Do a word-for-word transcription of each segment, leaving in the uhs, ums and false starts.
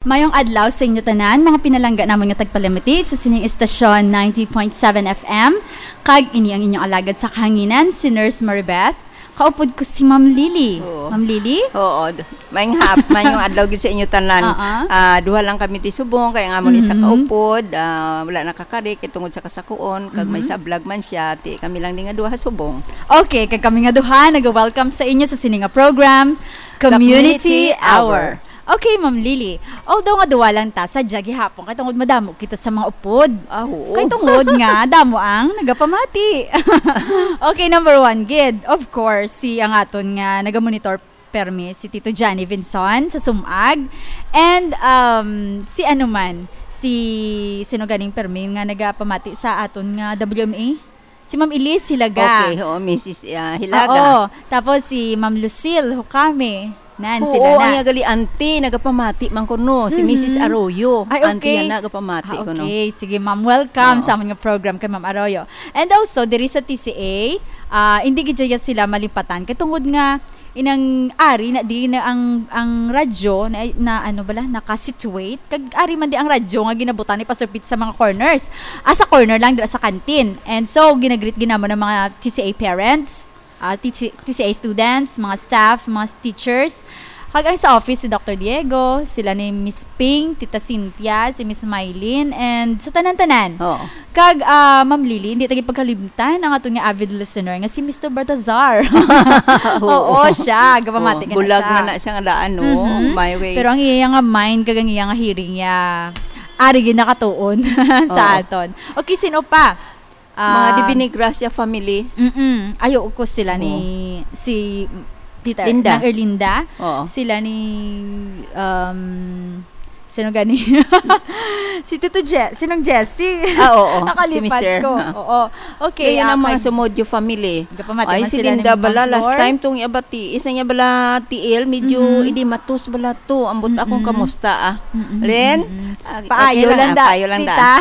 Mayong adlaw sa inyo tanan, mga pinalangga namon nga tagpalamati sa sining estasyon ninety point seven F M. Kag ini ang inyong alagad sa kahanginan, si Nurse Maribeth. Kaupod ko si Ma'am Lily. Oo. Ma'am Lily? Oo, d-, mayong hap-, mayong adlaw gid sa inyo tanan. Ah, ah. Ah, duha lang kami ti subong, kay ang amon isa Mhm. kaupod, ah, wala nakakari, kay tungod sa kasakuon, kag may Mhm. sablag man siya, ti kami lang ni nga duha subong. Okay, kag kami nga duha, nag-welcome sa inyo sa sini nga program, Community Community Hour. Hour. Okay, Ma'am Lily. Although nga duwa lang ta, sadya gihapon kay tungod madamo kita sa mga upod. Ah, oo. Kay tungod nga damo ang nagapamati. Okay, number one gid, of course, si ang aton nga nagamonitor permi, si Tito Johnny Vinson sa Sumag. And, um, si ano man, si sino ganing permi nga nagapamati sa aton nga W M A? Si Ma'am Elise Hilaga. Okay, oo, Missus, ah, Hilaga. Oo. Tapos si Ma'am Lucille Hukame. Nan, Oo, sila na. ang iya gali auntie, nagapamati man kuno, si Missus Mhm. Arroyo. Ay, Auntie okay. niya, nagapamati Ah, kuno. okay. Sige, ma'am. Welcome Oo. sa amon nga program kay Ma'am Arroyo. And also, diri sa T C A, ah, hindi gid siya sila malipatan. Kay tungod nga, inang ari na di na ang, ang radyo na, na ano bala, naka-situate. Kag ari man di ang radyo nga ginabutan ni Pastor Pete sa mga corners. Ah, sa corner lang, dira sa canteen. And so, ginagreet ginamo ng mga T C A parents, ah, T C, T C A students, mga staff, mga teachers. Kag ang sa office, si Doctor Diego, sila ni Miss Ping, Tita Cynthia, si Miss Mylene, and sa tanan-tanan. Oo. Kag, ah, Ma'am Lily, hindi ta gid pagkalimtan ang aton nga avid listener nga si Mister Baltazar. Oo. Oo, siya. Gapamati Oo, ka na bulag siya. man na siya nga daan, no? Mhm. May way. Pero ang iya nga mind, kag ang iya nga hearing, ya, ari gid nakatuon sa Oo. aton. Okay, sino pa? Mga Ah, Divine Gracia family. Mm-mm. Ayo ko sila ni Oo. si Tita Linda. Nang Erlinda. Oo. Sila ni, um, sino gani? Si Tito Je-, sinong Jessie? Ah, oo. Si Nakalipat Mister, ko. ah. Oo. Okay, Kaya ah, ang mga kag-, Sumodyo family. Gapamati Ay, man si sila ni Linda Ma'am bala, last Flor. time tong iya bati, isa niya bala T L, medyo Mhm. idimatos bala to. Ambot akong Mm-mm. kamusta, ah. Mm-mm, Len? mm-mm. Ah, Paayo okay lang, lang ah, da, paayo lang da. tita.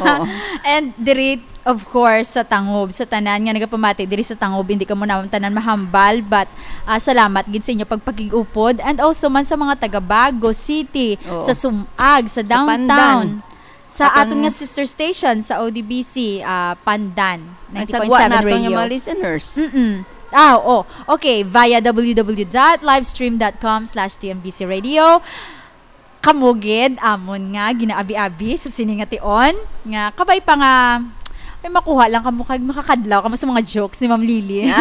Oo. And diri, of course, sa Tangob, sa tanan nga nagapamati diri sa Tangob, hindi kamo naman tanan mahambal, but, ah, salamat gid sa inyo pagpakig-upod. And also man sa mga taga Bago City, Oo. sa Sumag, sa Sa downtown, Pandan. sa Atong aton nga sister station, sa O D B C, ah, Pandan, Ang sagwa ninety point seven nato nga radio. mga listeners. Mm-mm. Ah, oo. Okay, via W W W dot livestream dot com slash T M B C radio. Kamo gid amon nga ginaabi-abi sa sini nga tion, nga kabay pa nga may makuha lang kamo kag makakadlaw kamo sa mga jokes ni Ma'am Lily.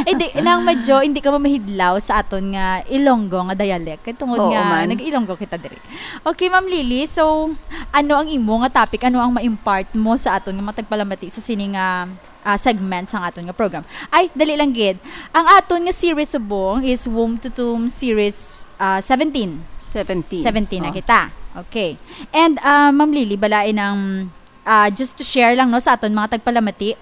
Eh, di lang medyo hindi kamo mahidlaw sa aton nga Ilonggo nga dialect. Kay tungod Oo, nga man. nag-Ilonggo kita diri. Okay, Ma'am Lily, so ano ang imo nga topic? Ano ang ma-impart mo sa aton nga mga tagpalamati sa sini nga, ah, segment sa aton nga program? Ay, dali lang gid. Ang aton nga series subong is Womb to Tomb series, ah, seventeen. Seventeen. Seventeen na Oh. kita. Okay. And, ah, Ma'am Lily, balain ang, ah, just to share lang, no, sa aton mga tagpalamati.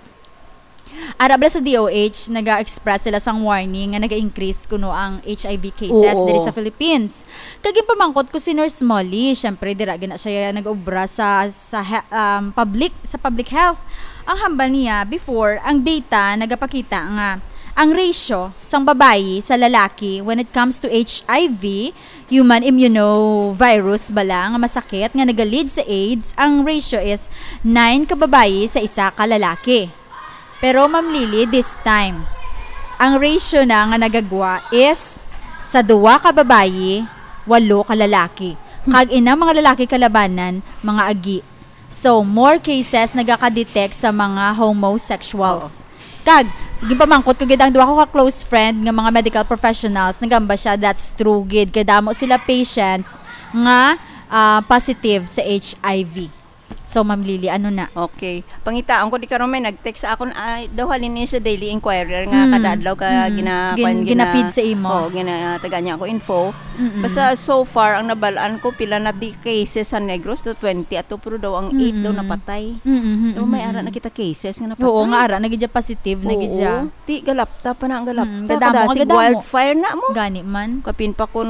Ara bala sa D O H, naga-express sila sang warning nga naga-increase kuno ang H I V cases Oo. diri sa Philippines. Kag ginpamangkot ko si Nurse Molly, syempre dira gina siya nag-obra sa, sa he-, um, public, sa public health. Ang hambal niya, before, ang data nagapakita nga ang ratio sang babayi sa lalaki when it comes to H I V, human immunovirus bala nga masakit nga naga-lead sa AIDS, ang ratio is nine ka babayi sa isa ka lalaki. Pero, Ma'am Lily, this time, ang ratio na nga nagagwa is sa duwa ka babayi, walo ka lalaki. Kag inang mga lalaki kalabanan, mga agi. So, more cases nagaka-detect sa mga homosexuals. Oo. Kag, ginpamangkot ko gid ang duha ko ka close friend nga mga medical professionals, nagamba siya, that's true gid. Kay damo sila patients nga, ah, positive sa H I V. So, Ma'am Lily, ano na? Okay. Pangitaan ko, di karon may nag-text sa akon, ay, daw halin ni sa Daily Inquirer nga Mm, kada adlaw ka mm. gina-, Gin-, kwan, gina-, gina-feed sa imo. Oo, ginatagaan niya ako info. Mm-mm. Basta so far, ang nabalaan ko, pila na di cases sa Negros, to twenty ato, pero daw ang eight daw Mm-mm. napatay. Mm-mm, Daw may mm-mm. ara na kita cases nga napatay. Oo, nga ara na gid siya positive, na gid Oo. siya. Ti, galapta pa na ang galapta. Mm, kadamo, Kada sig kadamo. wildfire na mo. Gani man. Kapin pa kun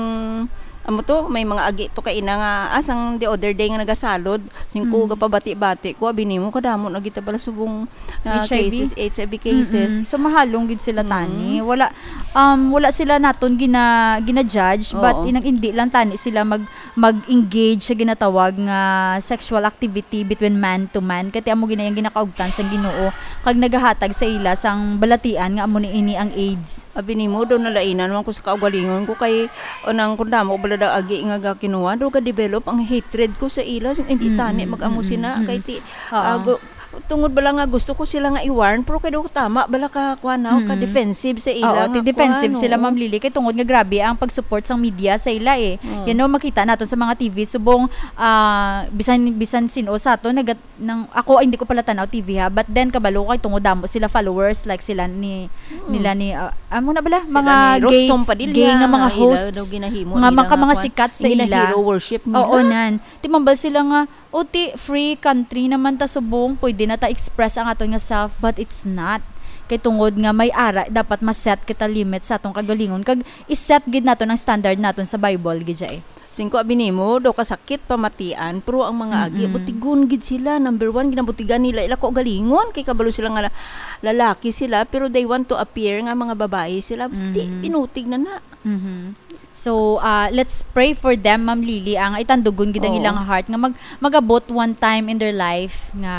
Amo to, may mga agi to kaina nga, ah, sang the other day nga nagasalod, singko Mm. gapabati-bati ko, abi nimo, kadamo na gid ta bala subong, ah, H I V? cases, H I V cases. Mm-mm. So, mahalong gid sila, Mm. tani. Wala, um, wala sila naton gina-, gina-judge, but Oo. inang indi lang tani sila mag-, mag-engage sa ginatawag nga sexual activity between man to man. Kay ti amo gina-, ang ginakaugtan sang Ginoo, kag nagahatag sa ila sang balatian nga amo ni ini ang AIDS. Abi nimo, daw nalainan man ko sa kaugalingon ko kay, o, nang kung damo bala daw agi nga gakinuha, daw ga-develop ang hatred ko sa ila. So, hindi Mm, tani mm, mag-amo mm, sina, mm. kay ti-, Oo. ah, gu-, tungod bala nga gusto ko sila nga i-warn, pero kay daw tama bala ka, kuwan, no, Mm. ka-defensive sa ila Oo, nga ti-defensive kuwan, sila, oo. Ma'am Lily, kay tungod nga grabe ang pag-support sang media sa ila, eh. Mm. Yan, no, makita naton sa mga T V, subong, ah, bisan, bisan sin-o sa aton, nagat-, nang, ako, hindi ko pala tanaw T V ha, but then, kabalo ko kay tungod damo sila followers, like sila ni, Mm. nila ni, ah, amo na bala, Sila mga ni gay, Rostom Padilla, gay nga mga ah, ila hosts, daw ginahimo nga nila mga, nga mga kuwan, sikat sa ila. Gina-hero worship nila. Oo, nan. Ti mambal sila nga, "O, ti free country naman ta subong, pwede na ta express ang aton nga self," but it's not. Kay tungod nga may ara, dapat ma-set kita limit sa atong kagalingon, kag i-set gid naton ang standard naton sa Bible, gid siya, eh. Singko abi nimo, daw kasakit pamatian, pero ang mga agi, Mm-mm. butigon gid sila. Number one, ginabutigan nila ila kaugalingon, kay kabalo sila nga la-, lalaki sila, pero they want to appear nga mga babae sila. Basti, Mhm. pinutig na na. Mhm. So, ah, let's pray for them, Ma'am Lily, ang itandugon gid ang Oo. ilang heart nga mag-, mag-abot one time in their life nga,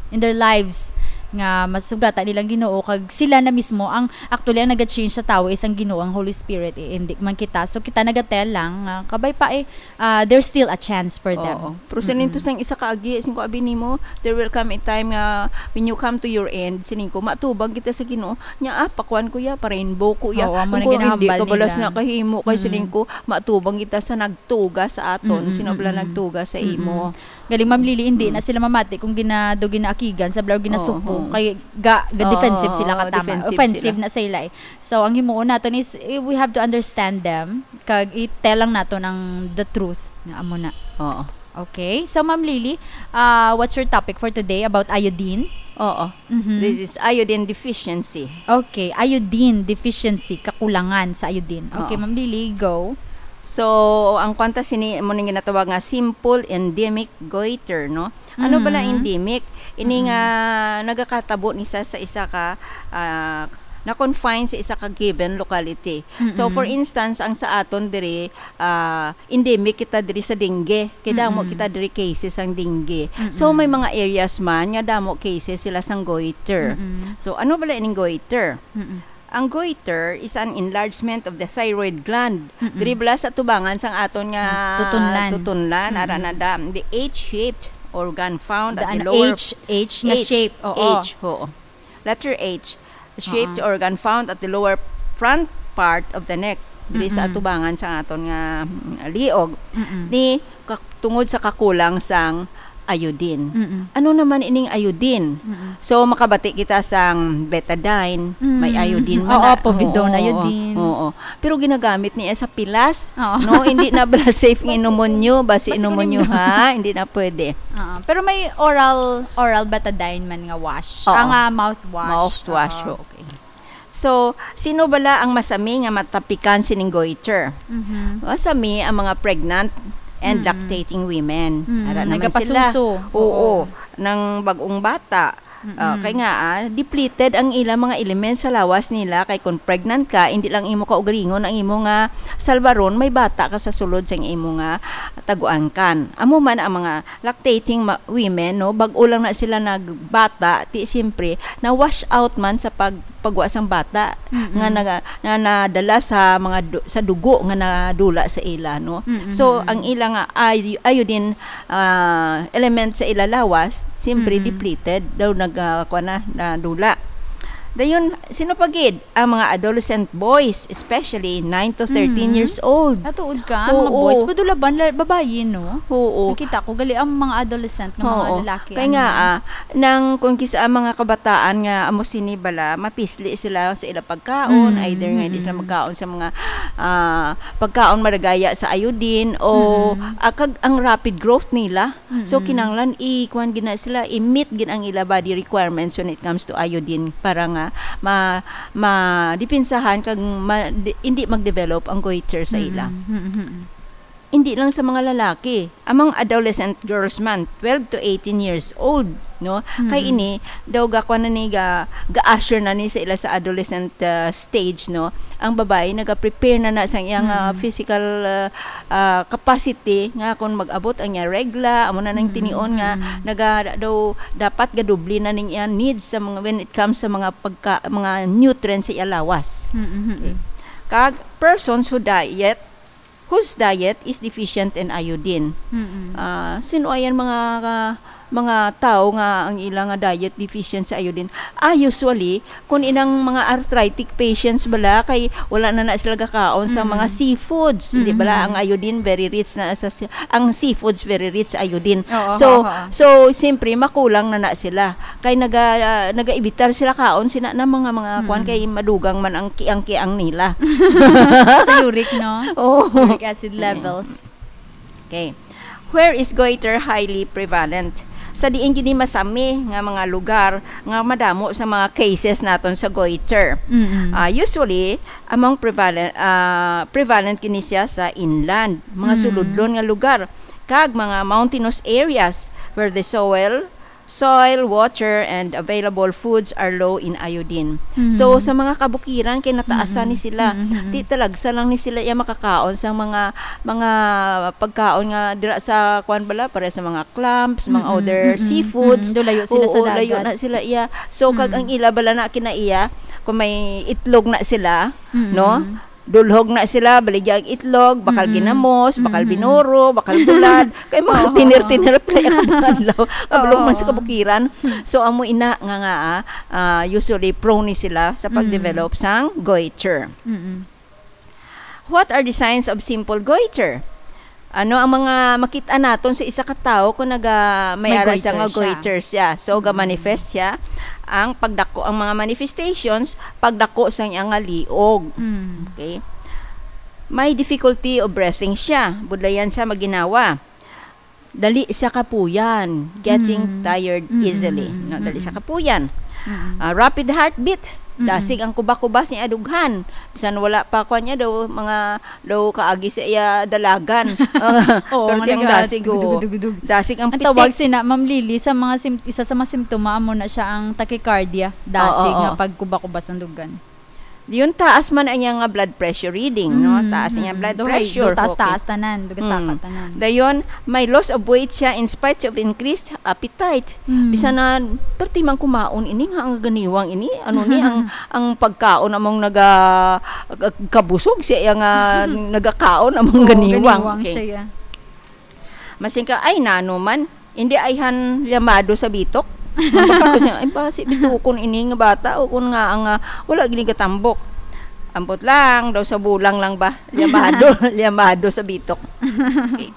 in their lives, nga masugatan nilang Ginoo, kag sila na mismo ang, actually, ang naga-change sa tawo is ang Ginoo, ang Holy Spirit, eh, hindi man kita. So, kita naga-tell lang nga, kabay pa, eh, ah, there's still a chance for them. Oo. Pero sa Mm-mm. nintos ng isa ka agi, singko abi nimo, there will come a time nga when you come to your end, sining ko, matubang kita sa Ginoo. Nya, ah, pakuan ko ya, pa-rainbow ko ya. Oo, amo Kung na ko hindi ginahambal ka balas nila. na kahimo, kay Mm-mm. sining ko, matubang kita sa nagtuga sa aton. Mm-mm, Sino bala mm-mm. nagtuga sa Mm-mm. imo? Galing, Ma'am Lily, hindi Mm. na sila mamati kung ginado, ginaakigan, sa bala, ginasupo. Oo. Kay ga-, ga-defensive Oo, sila katama. defensive Offensive sila. na sa ila, eh. So, ang himuon naton is, eh, we have to understand them. Kag i-tell lang naton ang the truth nga amo na. Oo. Okay. So, Ma'am Lily, ah, what's your topic for today about iodine? Oo. Mhm. This is iodine deficiency. Okay, iodine deficiency, kakulangan sa iodine. Okay, Oo. Ma'am Lily, go. So, ang kwanta sini mo ning ginatawag nga simple endemic goiter, no? Ano bala Mm. endemic? Ini Mm. nga nagakatabo ni sa, sa isa ka, ah, na-confine sa isa ka given locality. So, Mm-mm. for instance, ang sa aton diri, ah, endemic kita diri sa dengue. Kay damo Mm-mm. kita diri cases ang dengue. So, Mm-mm. may mga areas man nga damo cases sila sang goiter. Mm-mm. So, ano bala ining goiter? Mm-mm. Ang goiter is an enlargement of the thyroid gland. Mm-mm. Diri bala sa tubangan sang aton nga Mm, tutunlan. tutunlan, ara Mm-mm. na da, the H-shaped organ found at The the ano, lower H, H na H, shape, oo. H, oo. Letter H. Shaped Oo. organ found at the lower front part of the neck. Diri sa Mm-mm. atubangan sa aton nga, mm, liog. Mm-mm. Ni ka-, tungod sa kakulang sang iodine. Mm-mm. Ano naman ining iodine? Mm-mm. So, makabati kita sang betadine, may Mm. iodine man Oo, na. povidone, Oo, iodine. oo. Pero ginagamit niya sa pilas, Oo. no? Hindi na bala safe nga Basi inomon nyo, basi basi inomon nyo, kunin mo. ha? Hindi na pwede. Oo. Pero may oral, oral betadine man nga wash. Oo. Ah, nga mouthwash. Mouthwash, Oo. okay. So, sino bala ang masami nga matapikan sining goiter? Mhm. Masami ang mga pregnant and Mm. lactating women. Mm, Ara naman sila. nagapasuso. Oo, Oo. nang bag-ong bata. Mm-mm. Ah, kay nga, ah, depleted ang ila mga elements sa lawas nila. Kay kung pregnant ka, hindi lang imo kaugalingon ang imo nga salbaron, may bata ka sa sulod sa imo nga taguan kan. Amo man ang mga lactating ma-, women, no, bag-o lang na sila nagbata, ti siyempre, na-wash out man sa pag-, pagwa sang bata, Mm-mm. nga naga-, na nadala sa mga du-, sa dugo nga nadula sa ila, no. Mm-mm. So, ang ila nga ay-, iodine, ah, element sa ila lawas, siyempre, Mm-mm. depleted, daw nag-, ah, kuwan na, nadula. Dayon, sino pa gid? Ang mga adolescent boys, especially nine to thirteen Mm. years old. Ah, tuod ka? Mga Oo. boys? Padulaban, la-, babayi, no? Oo. Nakita ko, gali ang mga adolescent nga mga Oo. lalaki, Kaya ano nga, na? ah, nang kung kisa ang mga kabataan nga amo sini bala, mapisli sila sa ilang pagkaon, Mm, either nga hindi sila mm. magkaon sa mga, ah, pagkaon maragaya sa iodine o, Mm. ah, kag ang rapid growth nila. So, Mm-mm. kinahanglan i-, kuwan gid na sila, i-meet gid ang ila body requirements when it comes to iodine para nga ma-, ma-depensahan kag ma-, di-, hindi mag-develop ang goiter sa ila. Mm-mm. Mm-mm. hindi lang sa mga lalaki, among adolescent girls man, twelve to eighteen years old, no? Kay Mm. ini, daw ga-, kuwan na ni, ga-, ga-usher na ni sa ila sa adolescent, ah, stage, no? Ang babayi naga-prepare na na sa iyang, ah, Mm. physical, ah, ah, capacity nga kung mag-abot ang iya regla, amo na nang Mm, tinion nga mm. naga-, daw dapat gadubli na ning iya needs sa mga, when it comes sa mga pagka-, mga nutrients sa iya lawas. Mm, mm, Okay. mm. Kag persons who diet whose diet is deficient in iodine. Mm-mm. Ah, sino ayan mga, mga tao nga ang ila nga diet deficient sa iodine? Ah, usually, kung inang mga arthritic patients bala, kay wala na na sila gakaon sa mga Mm-mm. seafoods, di bala? Mm-mm. Ang iodine very rich na sa si-, ang seafoods very rich sa iodine. Oo, So, oo, oo. so, siyempre, makulang na na sila. Kay naga-, nagaibitar sila kaon sina na mga, mga kuwan, Mm. kay madugang man ang kiang-kiang nila. Sa uric, no? Oo. Uric acid Yeah. levels. Okay. Where is goiter highly prevalent? Sa diin gini masami nga mga lugar nga madamo sa mga cases naton sa goiter? Mm-mm. Ah, usually, among prevalent, ah, prevalent gini siya sa inland, mga Mm. suludlon nga lugar, kag mga mountainous areas where the soil soil, water, and available foods are low in iodine. Mm. So, sa mga kabukiran, kay nataasan Mm-mm. ni sila. Mm-mm. Ti talagsa lang ni sila iya makakaon sa mga, mga pagkaon nga dira sa, kuwan bala, para sa mga clams, mga Mm-mm. other Mm-mm. seafoods. Mm-mm. Do layo sila sa Oo, layo dagat. na sila iya. So, kag Mm. ang ila bala na kinaiya, kung may itlog na sila, Mm-mm. no? Dulhog na sila, baligya ang itlog, bakal Mm-mm. ginamos, bakal Mm-mm. binuro, bakal bulad. Kay mga Oo. tiner-tiner pa yung mga adlaw. Kablong Oo. man sa kabukiran. So, amo ina nga, nga, ah, ah, usually prone ni sila sa Mm. pag-develop sang goiter. Mm-mm. What are the signs of simple goiter? Ano ang mga makit-an naton sa isa ka tawo kung naga-, may May ara siya nga goiter siya. goiter siya? So, Mm. ga-manifest siya. Ang pagdako, ang mga manifestations, pagdako sa iyang nga liog. Mm. Okay? May difficulty of breathing siya. Budlayan siya maginawa. Dali siya kapuyan. Getting Mm. tired Mm, mm, easily. mm, No, mm, dali siya mm. kapuyan. Mm. Ah, rapid heartbeat. Mm. Dasig ang kuba-kuba sa iyang dughan. Bisan wala pa, kuwan niya daw, mga daw kaagi sa iya dalagan. Oo, Pero nga tiyang naga-, dasig, oo. dugdug-dugdug. Dasig ang Ang pitik. tawag sina, Ma'am Lily, sa mga sim-, isa sa mga simptoma, amo na siya ang tachycardia. Dasig Oo, nga oo. pagkuba-kuba sa dugan. Yun, taas man ang iyang nga blood pressure reading, no? Mm, Taas ang iyang mm. blood Duhay, pressure, du-, taas, okay. taas tanan, dugasaka Mm. tanan. Dayon, may loss of weight siya in spite of increased appetite. Mm. Bisan na, perti man kumaon ini nga ang ganiwang ini, ano ni, ang, ang pagkaon among naga-, kabusog siya, iya nga nagakaon among Oo, ganiwang. ganiwang Okay. siya, ya. Masing ka, "Ay, nano man, hindi ayhan llamado sa bitok." Ang baka ko niya, "Ay, basi bitukon ini nga bata, o kung nga ang, ah, wala gini gatambok." Ambot lang, daw sa bulang lang ba? Llamado, llamado sa bitok. Okay.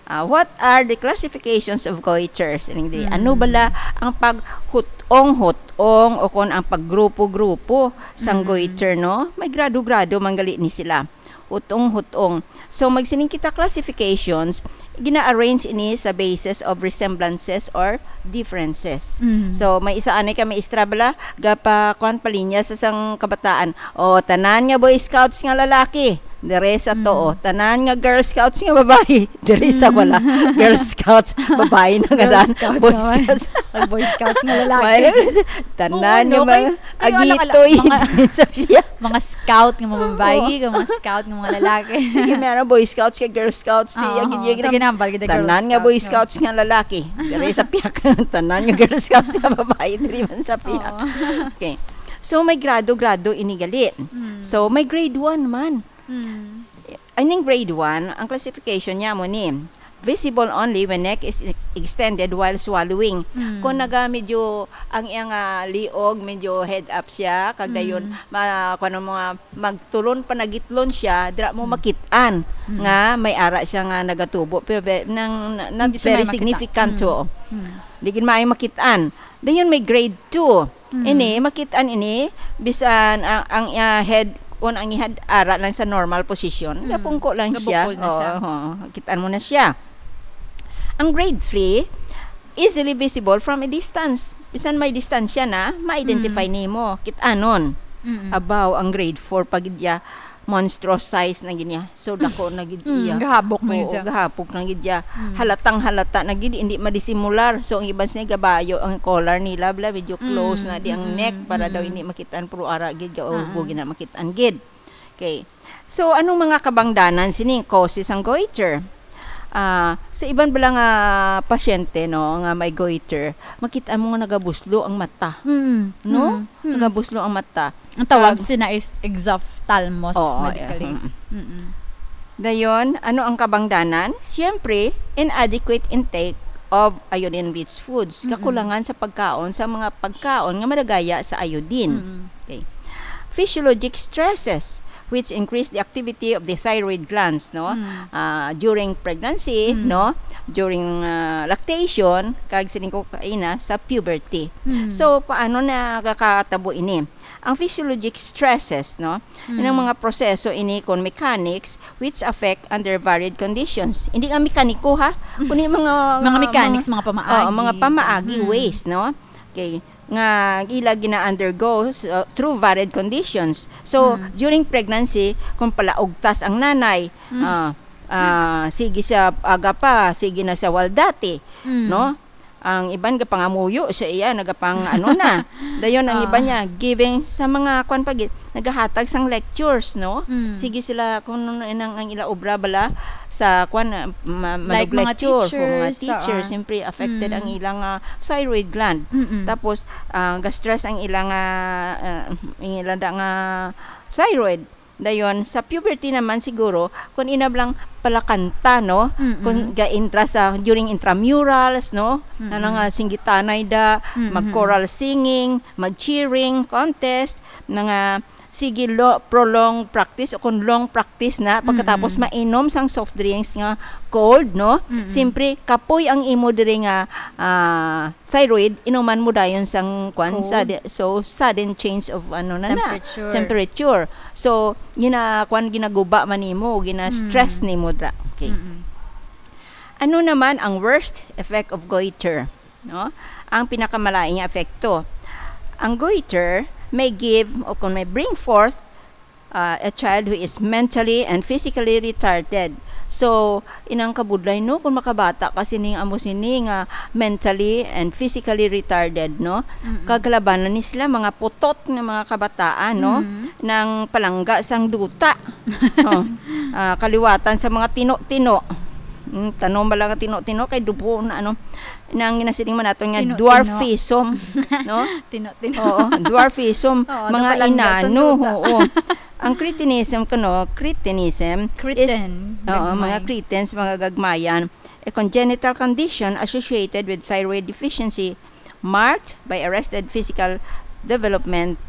Ah, what are the classifications of goiters? Ining di, ano Mm. bala ang paghutong-hutong o kon ang paggrupo-grupo sang Mm. goiter, no? May grado-grado man gali ni sila. Hutong-hutong. So, magsining kita classifications, gina-arrange ini sa basis of resemblances or differences. Mm. So, may isa anay ka maestra bala, gapa-, kuwan, palinya sa sang kabataan. O, tanan nga Boy Scouts nga lalaki, diri sa to, Mm. o. Tanan nga Girl Scouts nga babayi, diri sa Mm. wala. Girl Scouts, babayi na nga Girl daan. Scouts Boy naman. Scouts. Pag Boy Scouts nga lalaki. May, tanan Oo, nga no? mga Kay, kay, ano ka lang, agitoy mga, diri sa piyak. mga scout nga mga babayi, Oo. kag mga scout nga mga lalaki. Sige, meron Boy Scouts kay Girl Scouts, di, Oo, agi-, agi-, sige, nambal, kita Girl tanan nga Boy Scouts, no? Scouts nga lalaki, diri sa piyak. Tanan nga Girl Scouts nga babayi, diri man sa piyak. Oo. Okay. So, may grado-grado ini gali. Mm. So, may grade one man. Mm. Ining grade one, ang classification niya mo ni, visible only when neck is extended while swallowing. Mm. Kung naga medyo ang iyang, ah, liog, medyo head up siya, kag dayon, Mm. ma-, kuwan mo nga, magtulon pa nagitlon siya, dira mo Mm. makit-an Mm. nga may ara siya nga nagatubo. Pero ve-, nang, na, not Hindi siya very maayo makita. significant, Mm. oo. Mm. Di gid maayo makit-an. Dayon may grade two. Mm. Ini, makit-an ini, bisan ang, ang, ah, head, kun ang head ara lang sa normal position, Mm. gapungko lang siya. Gabukol na siya. Oo, oo. Kit-an mo na siya. Ang grade three, easily visible from a distance. Bisan may distansya na, ma-identify Mm. nimo. Kit-anon. Mm-mm. Abaw, ang grade four pa gid ya. monstrous size na gid niya. So, dako na gid Mm, iya. gahabok na gid Oo, siya. Gahabok na gid siya. Mm. Halatang halata na gid, hindi madisimular. So, ang iban sa gabayo, ang collar nila, bla, medyo close Mm, na di ang mm, neck para daw mm. hindi makitaan, pero ara gid, gaulbo Ah. gid na makitaan gid. Okay. So, anong mga kabangdanan sini causes ang goiter? Ah, sa iban bala nga pasyente, no, nga may goiter, makita mo nga nagabuslo ang mata, Mm, no? mm, mm. Nagabuslo ang mata. Ang tawag Kag- sina is exophthalmos Oo, medically. eh, mm. Mm-mm. Dayon, ano ang kabangdanan? Siyempre, inadequate intake of iodine-rich foods. Mm-mm. Kakulangan sa pagkaon, sa mga pagkaon nga madagaya sa iodine. Mm-mm. Okay. Physiologic stresses, which increase the activity of the thyroid glands, no? Mm. Ah, during pregnancy, Mm. no? During ah, lactation, kag sining ko kaina sa puberty. Mm. So, paano nakakatabo ini? Ang physiologic stresses, no? Mm. Inang mga proseso ini kon mechanics which affect under varied conditions. Hindi nga mekaniko, ha? Kundi mga Mga mechanics, mga pamaagi. Oo, mga pamaagi Mm. ways, no? Okay. Nga ila gina-undergo uh, through varied conditions. So, Mm. during pregnancy, kung palaugtas ang nanay, Mm. ah, ah, sige siya aga pa, sige na sa waldati, Mm. no? Ang iban gapangamuyo sa iya, nagapang ano na. Dayon ang Ah. iban niya giving sa mga kwan pa gid, nagahatag sang lectures, no? Mm. Sige sila kung ano nang ang ila obra bala sa kwan ah, ma- Like manag mga lecture, o mga teachers, teacher, ah. siyempre affected Mm. ang ilang ah, thyroid gland. Mm-mm. Tapos ah, ga-stress ang ilang ah, ah, ang ilang da nga thyroid. Dayon, sa puberty naman siguro, kung inablang palakanta, no? Mm-mm. Kung ga-intra sa, during intramurals, no? Mm-mm. Na nga singgitanay da, Mm-mm. mag-choral singing, mag-cheering, contest, na nga, sige, lo, prolong practice o kung long practice na, pagkatapos Mm-mm. mainom sang soft drinks nga cold, no? Mm-mm. Siyempre, kapoy ang imo diri nga ah, thyroid, inuman mo dayon sang kwan, Cold. sudden, so sudden change of ano na na, Temperature. temperature. So, gina kwan ginaguba man nimo, gina-stress Mm. nimo dra. Okay. Mm-mm. Ano naman ang worst effect of goiter, no? Ang pinakamalain nga epekto. Ang goiter may give o kung may bring forth uh, a child who is mentally and physically retarded. So, inang kabudlay, no, kung makabata ka sining amo sini nga mentally and physically retarded, no? Mm-mm. Kaglabanan ni sila mga putot nga mga kabataan, no? Mm. Nang palangga sang duta. Oh, ah, kaliwatan sa mga tino-tino. Mm, tanom ba lang nga tino-tino kay dubo na ano nang ginasiling man nato nga Tino-tino. Dwarfism, no? Tino-tino. Oo, dwarfism, Oo, mga napalangga sa inano, duta. Oo. Ang cretinism, kuno, cretinism is, Cretin, oo, gagmay. Mga cretins, mga gagmayan, a congenital condition associated with thyroid deficiency marked by arrested physical development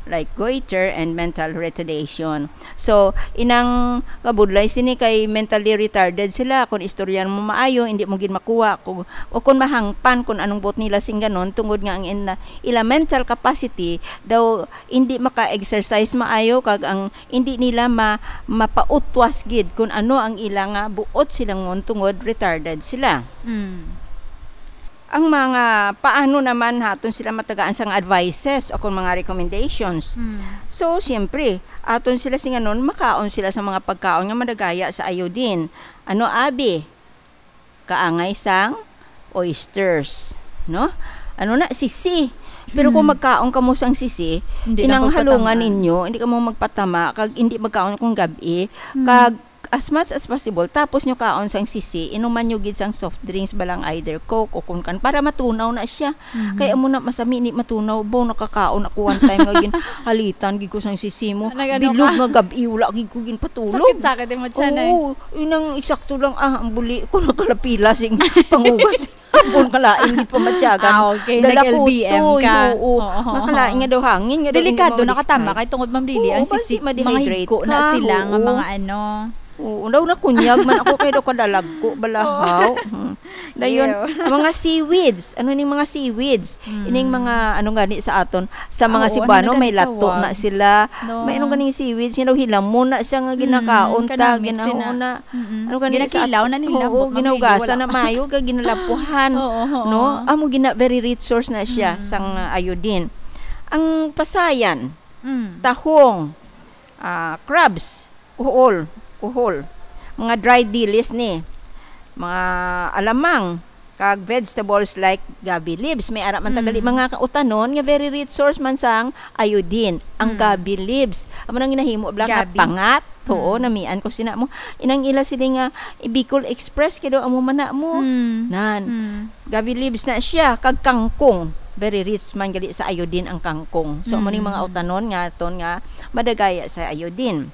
like goiter and mental retardation. So, inang kabudlay sini kay mentally retarded sila. Kung istoryan mo maayo, hindi mo gid makuha kung, o kung mahangpan kung anong buot nila sing ganon, tungod nga ang in-, ila mental capacity daw hindi maka-exercise maayo, kag ang hindi nila ma-, mapautwas gid kung ano ang ila nga buot silang tungod retarded sila. Mm. Ang mga paano naman haton sila matagaan sang advices o kung mga recommendations. Mm. So, siyempre, aton sila singanon, makaon sila sa mga pagkaon nga madagaya sa iodine. Ano, abi? Kaangay sang oysters, no? Ano na, sisi. Pero kung Mm. magkaon kamo sang sisi, Hindi lang inang halungan pagpatamaan. Ninyo, hindi kamo magpatama, kag hindi magkaon kung gabi, Mm. kag as much as possible, tapos nyo kaon sang sisi, inuman nyo gid sang soft drinks, balang either Coke o kung kan, para matunaw na siya. Mhm. Kay amo na, masami ni matunaw, bo, nakakaon ako one time nga gin-, halitan gid ko sang sisi mo. Nag-ano Bilog ka? Nga gabi, wala gid ko ginpatulog. Sakit-sakit yung tiyan, eh. Oo, yun ang eksakto lang, ah, ang buli ko nakalapila sing pangugas. Hapon kalain, di pa matyagan. Ah, okay. Dala Nag-L B M ko to, ka. Oo. Oo. Makalain nga daw hangin, nga daw hindi Delikado mo na katama ma-describe. Kay tungod, Ma'am Lily, Oo, ang kasi sisi, mga ma-dehydrate higko na ka. sila nga Oo. mga ano. Oo, daw nakunyag man ako kay daw kadalagko, balahaw. Hmm. Dayon, Ew. Mga seaweeds. Ano ning mga seaweeds? Hmm. Ining mga, ano gani sa aton, sa mga Oo, Cebuano, ano na may gani lato tawag? Na sila. No. May ano ganing seaweeds, you know, hilamon na siya nga Mm, ginakaon ta, kanamit ginaon sina. Na. Mm-mm. Ano gani sa Ginakilaw na nila, Oo, but mamili, ginaugasan wala. Na maayo, kag ginalapuhan. Oo, oo. No? Amo gina very rich source na siya Mm. sang uh, iodine. Ang pasayan, Mm. tahong, ah, crabs, kuhol, kuhol. Mga dried dilis ni, mga alamang, kag vegetables like gabi leaves. May ara man ta gali Mm. mga kautanon nga very rich source man sang iodine, ang Mm. gabi leaves. Amo nang ginahimo bala nga Gabi. pangat. Oo, Mm. namian ko sina mo. Inang ila sila nga, eh, Bicol Express, kay daw amo man na mo. Mm. Nan. Mm. Gabi leaves na siya, kag kangkong. Very rich man gali sa iodine ang kangkong. So, amo ning mga Mm. utanon nga aton nga madagaya sa iodine.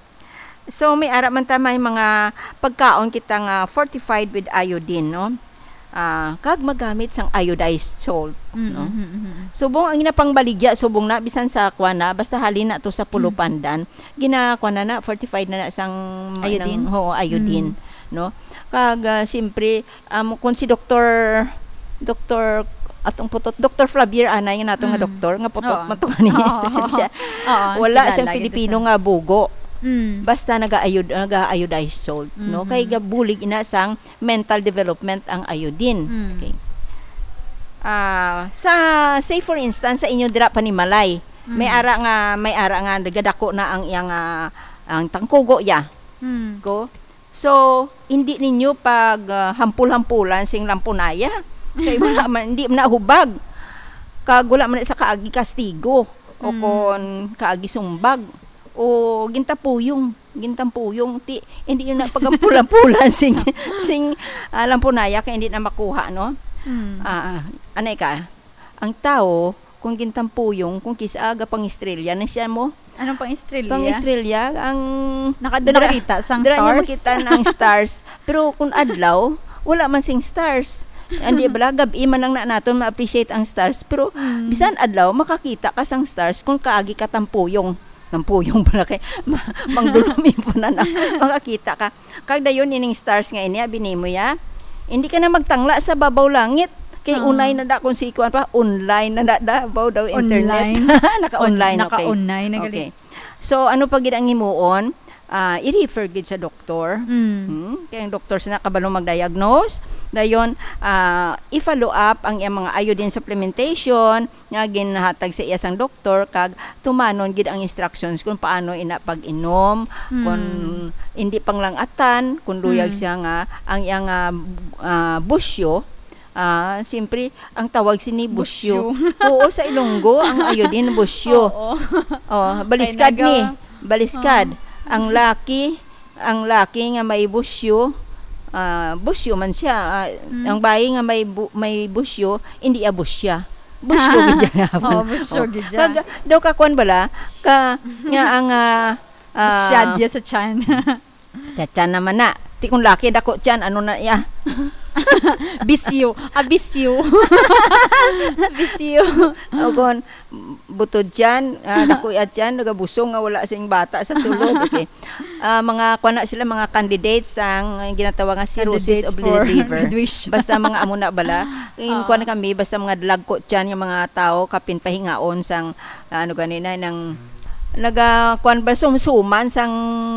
So, may ara man ta may mga pagkaon kita nga fortified with iodine, no? Ah, kag magamit sang iodized salt, Mm, no? mm, mm, mm. Subong ang ginapangbaligya, subong na, bisan sa kuwan na, basta halin na to sa Mm. pulupandan, ginakuwan na na, fortified na na sang, Iodine? nang, ho, iodine, Mm. no? Kag, ah, siyempre, um, kung si Doktor, Doktor, atong putot, Doktor Flavier anay nga nato nga Mm. doktor, nga putot Oo. man to kani. Oo. Siya, Oo, wala kilala siyang gid Pilipino siya. nga bugo. Mm. Basta nag-aayod-, nag-iodized salt, no? Mhm. Kay gabulig ina sang mental development ang iodine. Mm. Okay. Ah, sa, say for instance, sa inyo dira Panimalay, may Mm. ara nga, may ara nga nagadako na ang iyang, ah, ang tangkugo ya. Mm. Ko. So, hindi ninyo pag, ah, hampul-hampulan sing lampunaya. Kay wala man, hindi man na hubag. Kag wala man sa kaagi kastigo. O Mm. kon kaagi sumbag. O gintapuyong. Gintampuyong. Ti, hindi yun na pagampul-ampulan sing, sing, ah, lampunaya kay hindi na makuha, no? Mm. Ah, anay ka? Ang tao, kung gintampuyong, kung kis-, aga pang-estrelya na siya mo. Anong pang-estrelya? Pang-estrelya, ang Naka-, doon dira-, nakakita sang dira niya stars? makita ang stars. Pero kung adlaw, wala man sing stars. Hindi bala, gab-i man lang na naton ma-appreciate ang stars. Pero Mm. bisan adlaw, makakita ka sang stars kung kaagi ka tampuyong. Tampuyong pala kay ma-, mangdulom yung punan na. Makakita ka. Kag dayon ining stars nga ini, abi nimo ya, hindi ka na magtangla sa babaw langit. Kay Ah. unay na da kung si kuwan pa, online na da, da, baw daw internet. Online? Naka-online, On-, okay. naka-online na gali. Okay. So, ano pa gid ang himuon? Ah, i-refer gid sa doktor. Mm. Hmm? Kay ang doktor sa kabalo mag-diagnose. Dayon, ah, i-follow up ang iyang mga iodine supplementation nga ginhatag sa iya sang doktor, kag tumanon gid ang instructions kung paano ina pag-inom, Mm. kung hindi panglangatan, kung luyag Mm. siya nga ang iyang, ah, ah, busyo, ah, siyempre, ang tawag sini busyo. Busyo. Oo, sa Ilonggo, ang iodine busyo. Oo. Oh, baliskad Kay ni, nagawa-, baliskad. Oo. Ang laki, ang laki nga may busyo, ah, busyo man siya. Ah, Mm. ang bayi nga may bu-, may busyo, hindi iya busya. Busyo gid siya. Oo, busyo Oh. gid siya. Kag, daw ka kwan bala, ka, nga ang, ah, ah, Busya diya sa tiyan. Sa tiyan naman na. Ti kung laki, dako tiyan, ano na iya? Bisyo. Ah, bisyo. Bisyo. O kon, butod tiyan, ah, dako iya tiyan, nagabusong nga wala sing bata sa sulod. Okay. Ah, mga, kuwan na sila, mga candidates ang ginatawag nga cirrhosis Candidates of the for liver. graduation. Basta mga amo na bala. In, Oo. kuwan kami, basta mga dalagko tiyan nga mga tao, kapin pahingaon sang, ah, ano gani na, nang, naga, kuwan ba, sumsuman sang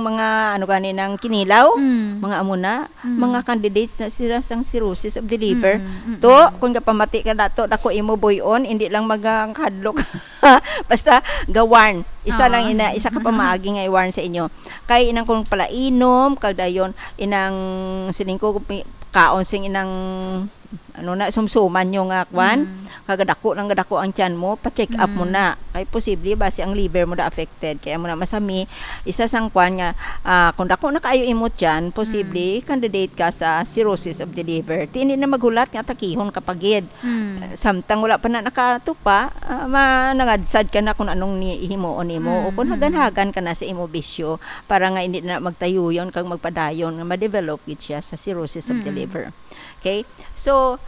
mga, ano gani, nang kinilaw, Mm. mga amo na, Mm. mga candidates na sila sang cirrhosis of the liver. Mm, mm, To, mm. kung kapamati ka dato, dako imo buy-on, hindi lang magkahadlok. Basta, ga-warn. Isa lang Ah. ina, isa ka pamaagi nga i-warn sa inyo. Kay inang kung palainom, kag dayon, inang sining ko, pi-, kaon sing inang, ano na, sumsuman nyo nga, kwan, Mm. kagadako lang gadako ang tiyan mo, pa-check up mo Mm. na. Kay posible, basi ang liver mo na affected. Kaya mo na masami, isa sang kwan nga, ah, kung dako na kaayo imo tiyan, posible, Mm. candidate ka sa cirrhosis of the liver. Ti, hindi na maghulat nga takihon ka pa gid. Mm. Samtang wala pa na nakatupa, ah, ma-, nangadsad ka na kung anong ni-, himuon nimo o kung Mm, mm. hagan-hagan ka na sa imo bisyo para nga hindi na magtayuyon kag magpadayon nga ma-develop gid siya sa cirrhosis of the Mm. liver. Okay? So,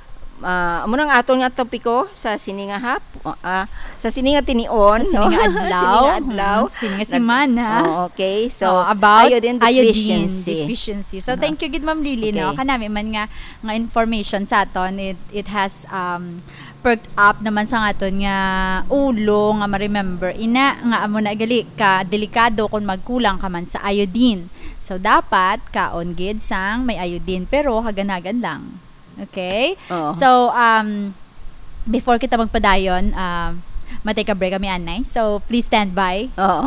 ah, amo nang aton nga topiko sa sini nga hap-, ah, sa sini nga tinion, Sa sini no? nga adlaw. Sini nga adlaw. Mm, sini nga Nag-, semana. Oh, okay. So, Oh, about iodine iodine deficiency. deficiency. So, Aha. thank you gid, Ma'am Lily, no? Okay. Kanami man nga nga information sa aton. It, it has, um, perked up naman sa aton nga ulo nga ma-remember. Ina nga amo na gali ka delikado kung magkulang ka man sa iodine. So, dapat kaon gid sang may iodine, pero hagan-hagan lang. Okay? Oo. So, um, before kita magpadayon, um, ma-take a break kami, anay. So, please stand by. Oo.